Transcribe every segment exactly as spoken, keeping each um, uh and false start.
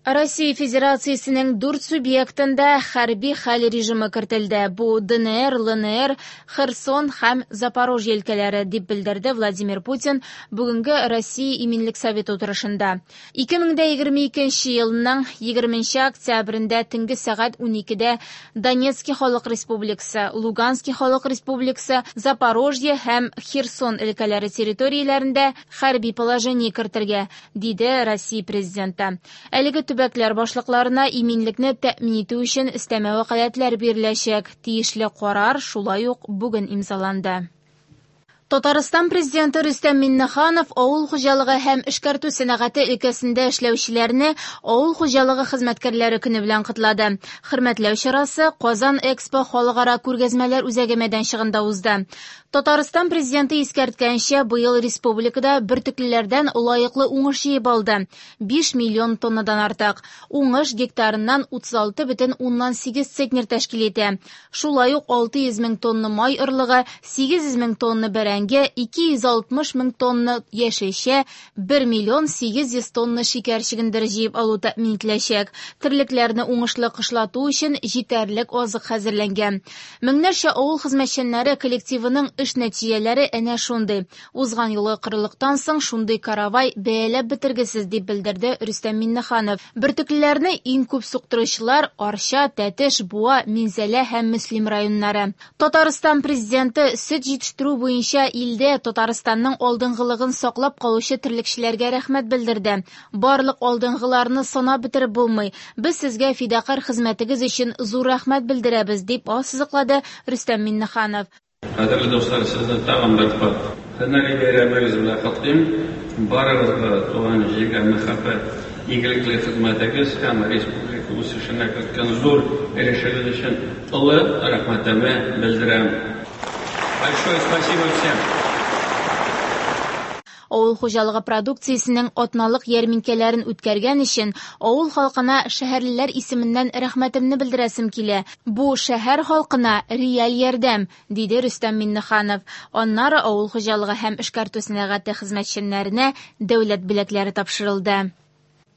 Россия Федерациясенең дүрт субъектында хәрби хәл режимы кертелде. Бу Д Н Р, Л Н Р, Херсон һәм Запорожье өлкәләре, дип белдерде Владимир Путин бүгенге Россия Иминлек Советы утырышында. ике мең егерме икенче елның егерменче октябрендә төнге сәгать уникедә Донецки Халык Республикасы, Лугански Халык Республикасы, Запорожье һәм Херсон өлкәләре территорияләрендә хәрби положение кертергә, диде Россия президенты. Әлеге төбәкләр башлыкларына иминлекне тәэмин итү өчен өстәмә вәкаләтләр биреләчәк. Тиешле карар шулай ук бүген имзаланды. Татарстан президенты Рөстәм Миңнеханов авыл хуҗалыгы һәм эшкәртү сәнәгате өлкәсендә эшләүчеләрне Авыл хуҗалыгы хезмәткәрләре көне белән котлады. Хөрмәтләү чарасы Казан Экспо халыкара күргәзмәләр үзәге мәйданчыгында узды. Татарстан президенты искәрткәнчә, быел республикада бөртеклеләрдән лаеклы уңыш җыеп алды: биш миллион тоннадан артык. Уңыш гектарыннан утыз алты бөтен уннан сигез центнер тәшкил итә. Шулай ук алты йөз мең тонна май орлыгы, сигез йөз мең тонна бәрәңге, ике йөз алтмыш мең тонна яшелчә, бер миллион сигез йөз тонна шикәр чөгендере җыеп алу тәэмин ителәчәк. Терлекләрне уңышлы кышлату өчен җитәрлек азык хәзерләнгән. Меңнәрчә авыл хезмәтчәннәре коллективының эш нәтиҗәләре әнә шундый. Узган елгы корылыктан соң шундый каравай бәяләп бетергесез, дип белдерде Рөстәм Миңнеханов. Бөртеклеләрне иң күп суктыручылар Арча, Тәтеш, Буа, Минзәлә һәм Мөслим районнары. Татарстан президенты сөт җитештерү буенча илдә Татарстанның алдынгылыгын саклап калучы терлекчеләргә рәхмәт белдерде. Барлык алдынгыларны санап бетереп булмый. Без сезгә фидакарь хезмәтегез өчен зур рәхмәт белдерәбез, дип ассызыклады Рөстәм Миңнеханов. Кадерле дуслар, сезне тагын бер кат һөнәри бәйрәмегез белән котлыйм. Барыгызга туган җиргә мәхәббәт, игелекле хезмәтегез һәм республика үсешенә керткән зур өлешегез өчен олы рәхмәтемне белдерәм. Большое спасибо всем! Авыл хуҗалыгы продукциясенең атналык ярминкәләрен үткәргән өчен авыл халкына шәһәрлеләр исеменнән рәхмәтемне белдерәсем килә. Бу шәһәр халкына реаль ярдәм, диде Рөстәм Миңнеханов. Аннары авыл хуҗалыгы һәм эшкәртү сәнәгате хезмәтчәннәренә дәүләт бүләкләре тапшырылды.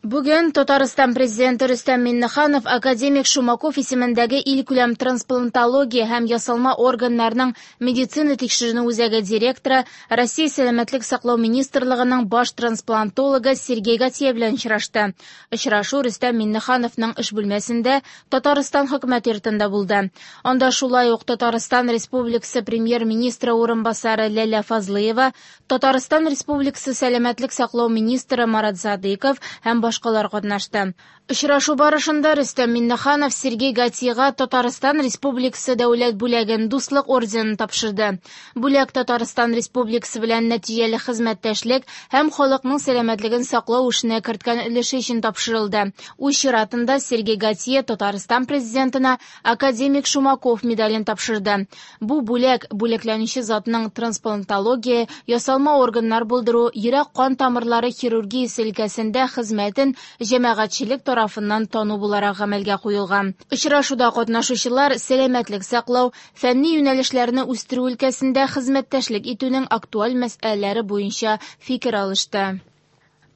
Бүген Татарстан президенты Рөстәм Миңнеханов академик Шумаков исемендәге илкүләм трансплантология һәм ясалма органнарның медицина тикшеренү үзәге директоры, Россия Сәламәтлек саклау министрлыгының баш трансплантологы Сергей Гатье белән очрашты. Очрашу Рөстәм Миңнехановның эш бүлмәсендә, Татарстан хөкүмәт йортында булды. Анда шулай ук Татарстан Республикасы премьер-министры урынбасары Ләлә Фазлыева, Татарстан Республикасы сәламәтлек саклау министры Марат Садыйков һәм башкалар катнашты. Очрашу барышында Рөстәм Миңнеханов Сергей Гатьега Татарстан Республикасы дәүләт бүләген, Дуслык орденын тапшырды. Бүләк Татарстан Республикасы белән нәтиҗәле хезмәттәшлек һәм халыкның сәламәтлеген саклау эшенә керткән өлеше өчен тапшырылды. Үз чиратында Сергей Гатье Татарстан президентына академик Шумаков медален тапшырды. Бу бүләк бүләкләнүче затның трансплантология, ясалма органнар булдыру, йөрәк-кан тамырлары хирургиясе өлкәсендә хезмәтен җәмәгатьчелек тарафыннан тану буларак гамәлгә куелган. Очрашуда катнашучылар сәламәтлек саклау, фәнни юнәлешләрне үстерү өлкәсендә хезмәттәшлек итүнең актуаль мәсьәләләре буенча фикер алышты.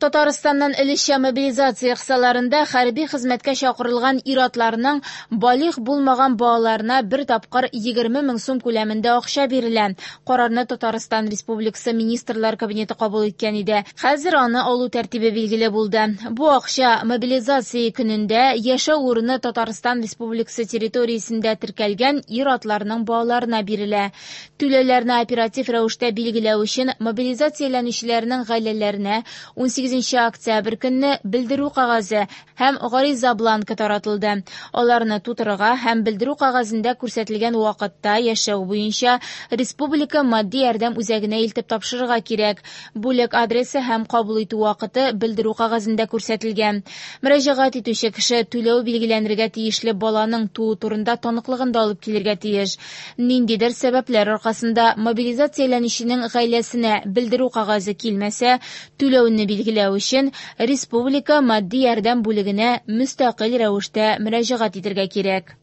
Татарстаннан өлешчә мобилизация кысаларында хәрби хезмәткә чакырылган ир-атларның балигъ булмаган балаларына бер тапкыр егерме мең сум күләмендә акча бирелә. Карарны Татарстан Республикасы Министрлар Кабинеты кабул иткән иде. Хәзер аны алу тәртибе билгеле булды. Бу акча мобилизация көнендә яшәү урыны Татарстан Республикасы территориясендә теркәлгән ир-атларның балаларына бирелә. Түләүләрне оператив рәвештә билгеләү өчен мобилизацияләнүчеләрнең гаиләләренә унсигезенче октябрь көнне белдерү кәгазе һәм гариза бланкы таратылды. Аларны тутырырга һәм белдерү кәгазендә күрсәтелгән вакытта яшәү буенча республика матди ярдәм үзәгенә илтеп тапшырырга кирәк. Бүлек адресы һәм кабул итү вакыты белдерү кәгазендә күрсәтелгән. Мөрәҗәгать итүче кеше түләү билгеләнергә тиешле баланың туу турында таныклыгын да алып килергә тиеш. Ниндидер сәбәпләр аркасында мобилизацияләнүченең гаиләсенә белдерү кәгазе килмәсә, түләүне билгеләү өчен республика матди ярдәм бүлегенә мөстәкыйль рәвештә мөрәҗәгать итәргә кирәк.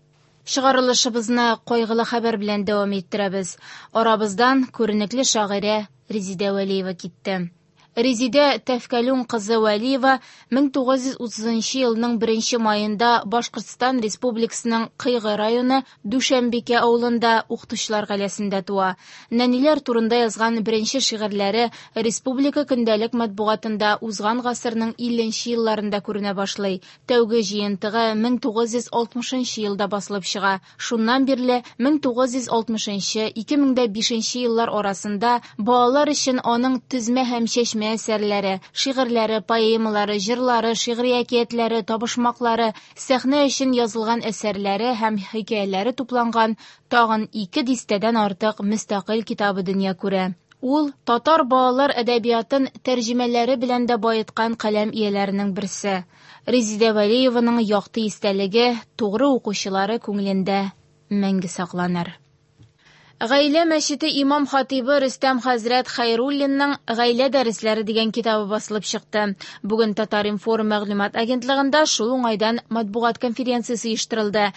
Чыгарылышыбызны кайгылы хәбәр белән дәвам иттерәбез. Арабыздан күренекле шагыйрә Резидә Вәлиева китте. Резидә Тәфкәлүн кызы Вәлиева мең тугыз йөз утызынчы елның беренче маенда Башкортстан Республикасының Кыйгы районы Дүшәмбикә авылында укытучылар гаиләсендә туа. Нәниләр турында язган беренче шигырьләре республика көндәлек матбугатында узган гасырның илленче елларында күренә башлый. Тәүге җыентыгы мең тугыз йөз алтмышынчы елда басылып чыга. Шуннан бирле мең тугыз йөз алтмышынчы, ике мең дә бишенче еллар арасында балалар өчен аның төзмә һәм чәчмә әсәрләре, шигырьләре, поэмалары, җырлары, шигъри әкиятләре, табышмаклары, сәхнә өчен язылган әсәрләре һәм хикәяләре тупланган тагын ике дистәдән артык мөстәкыйль китабы дөнья күрә. Ул татар балалар әдәбиятын тәрҗемәләре белән дә баеткан каләм ияләренең берсе. Резидә Вәлиеваның якты истәлеге тугры укучылары күңелендә мәңге сакланыр. Гаилә мәчете имам хатибы Рөстәм хәзрәт Хәйруллинның «Гаилә дәресләре» дигән китабы басылып чыкты. Бүген Татар-информ мәгълүмат агентлыгында шул уңайдан матбугат конференциясе оештырылды.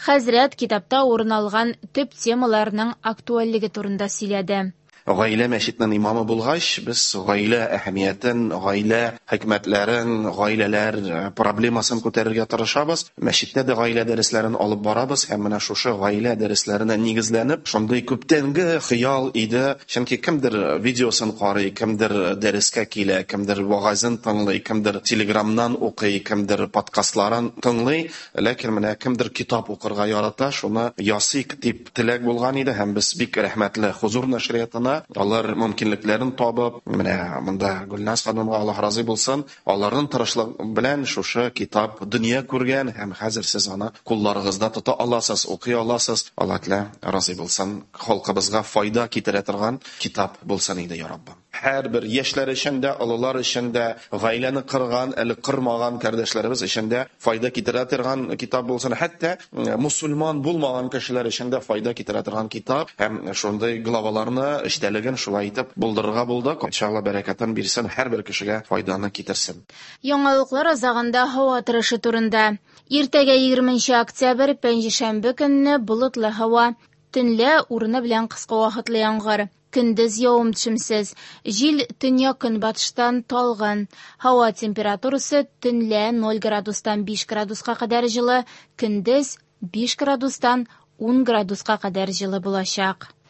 Хәзрәт китапта урын алган төп темаларның актуальлеге турында сөйләде. Гаилә мәчетенең имамы булгач, без гаилә әһәмиятен, гаилә хикмәтләрен, гаиләләр проблемасын күтәрергә тырышабыз. Мәчеттә дә гаилә дәресләрен алып барабыз һәм менә шушы гаилә дәресләренә нигезләнеп, шундый күптәнге хыял иде. Чөнки кемдер видеосын карый, кемдер дәрескә килә, кемдер вагазын тыңлый, кемдер телеграмнан укый, кемдер подкастларын тыңлый, ләкин менә кемдер китап укырга ярата, шуны ясыйк дип теләк булган иде һәм без бик рәхмәтле Хузур нәшриятына. Алар мөмкинлекләрен табып, менә монда Гөлназ ханымга Аллаһ разый булсын, аларның тырышлыгы белән шушы китап дөнья күргән һәм хәзер сез аны кулларыгызда тота аласыз, укый аласыз. Аллаһ Тәгалә разый булсын, халкыбызга файда китерә торган китап булсын иде, я Раббым. Һәрбер яшьләр өчен дә, олылар өчен дә, гаиләне кырган, әле кырмаган кардәшләребез өчен дә файда китерә торган китап булсын. Хәтта мусульман булмаган кешеләр өчен дә файда китерә торган китап һәм шундый главаларны, эчтәлеген шулай итеп булдырырга булдык. Иншалла бәрәкәтен бирсен, һәрбер кешегә файданы китерсен. Яңалыклар азагында һава торышы турында. Иртәгә егерменче октябрь пәнҗешәмбе көнне болытлы һава, төнлә урыны белән кыска вакытлы яңгыр. Көндез явым-төшемсез. Җил төньяк-көнбатыштан талгын. Һава температурасы төнлә ноль градустан биш градуска кадәр җылы, көндез биш градустан ун градуска кадәр җылы булачак.